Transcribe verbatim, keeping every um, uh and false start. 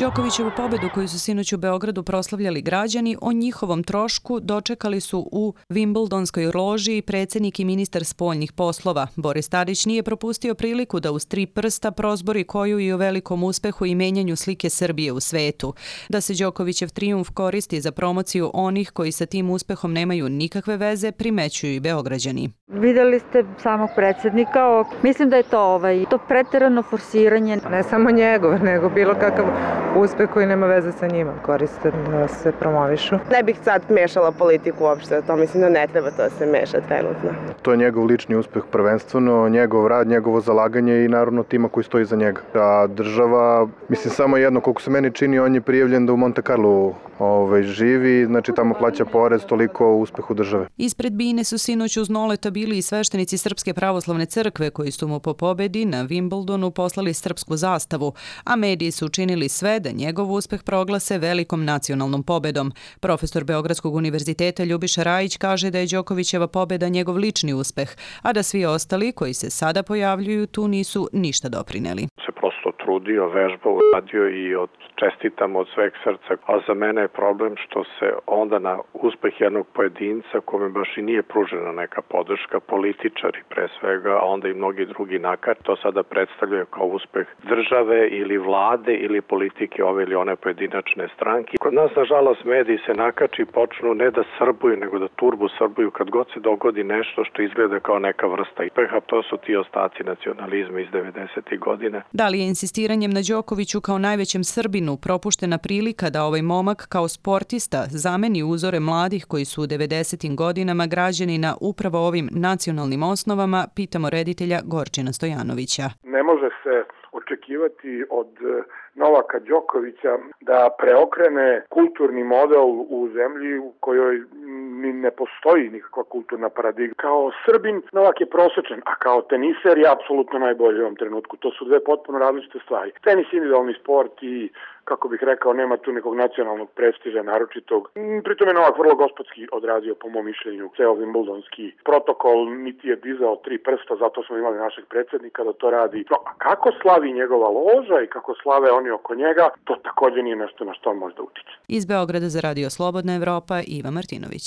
Đokovićevu pobedu koju su sinoć u Beogradu proslavljali građani, o njihovom trošku dočekali su u Wimbledonskoj loži predsjednik i ministar spoljnih poslova. Boris Tadić nije propustio priliku da uz tri prsta prozbori koju i o velikom uspehu i menjanju slike Srbije u svetu. Da se Đokovićev trijumf koristi za promociju onih koji sa tim uspehom nemaju nikakve veze, primećuju i Beograđani. Videli ste samog predsjednika, mislim da je to ovaj, to preterano forsiranje. Ne samo njegov, nego bilo kakav uspeh koji nema veze sa njima, koriste da se promovišu. Ne bih sad mešala politiku uopšte, to mislim da ne treba to da se meša trenutno. To je njegov lični uspeh prvenstveno, njegov rad, njegovo zalaganje i naravno tima koji stoji za njega. A država, mislim samo jedno, koliko se meni čini, on je prijavljen da u Monte Carlo ovaj, živi, znači tamo plaća porez, toliko o uspehu države. Ispred bine su sinoć uz Noleta bili i sveštenici Srpske pravoslavne crkve koji su mu po pobedi na Wimbledonu poslali srpsku zastavu, a mediji su učinili sve da njegov uspeh proglase velikom nacionalnom pobedom. Profesor Beogradskog univerziteta Ljubiša Rajić kaže da je Đokovićeva pobeda njegov lični uspeh, a da svi ostali koji se sada pojavljuju tu nisu ništa doprineli. Se prosto trudio, vežbao, radio i od čestitam od sveg srca, a za mene je problem što se onda na uspeh jednog pojedinca kome baš i nije pružena neka podrška, političari pre svega, a onda i mnogi drugi nakar, to sada predstavljaju kao uspeh države ili vlade ili politike ove ili one pojedinačne stranke. Kod nas, nažalost, mediji se nakači i počnu ne da srbuju, nego da turbu srbuju kad god se dogodi nešto što izgleda kao neka vrsta uspeha. To su ti ostaci nacionalizma iz devedesetih godina. Da li je insistiranjem na Đokoviću kao najvećem Srbinu propuštena prilika da ovaj momak kao sportista zameni uzore mladih koji su u devedesetim godinama građeni na upravo ovim nacionalnim osnovama, pitamo reditelja Gorčina Stojanovića. Ne može se očekivati od Novaka Đokovića da preokrene kulturni model u zemlji u kojoj ni ne postoji nikakva kulturna paradigma. Kao Srbin Novak je prosečan, a kao teniser je apsolutno najbolji u ovom trenutku. To su dve potpuno različite stvari. Tenis je individualni sport i, kako bih rekao, nema tu nekog nacionalnog prestiža naročitog. Pritom je Novak vrlo gospodski odradio, po mom mišljenju, ceo wimbledonski protokol, niti je dizao tri prsta, zato smo imali našeg predsjednika da to radi. No, a kako slavi njegova loža i kako slave oni oko njega, to također nije nešto na što on može da utiče. Iz Beograda za Radio Slobodna Evropa, Iva Martinović.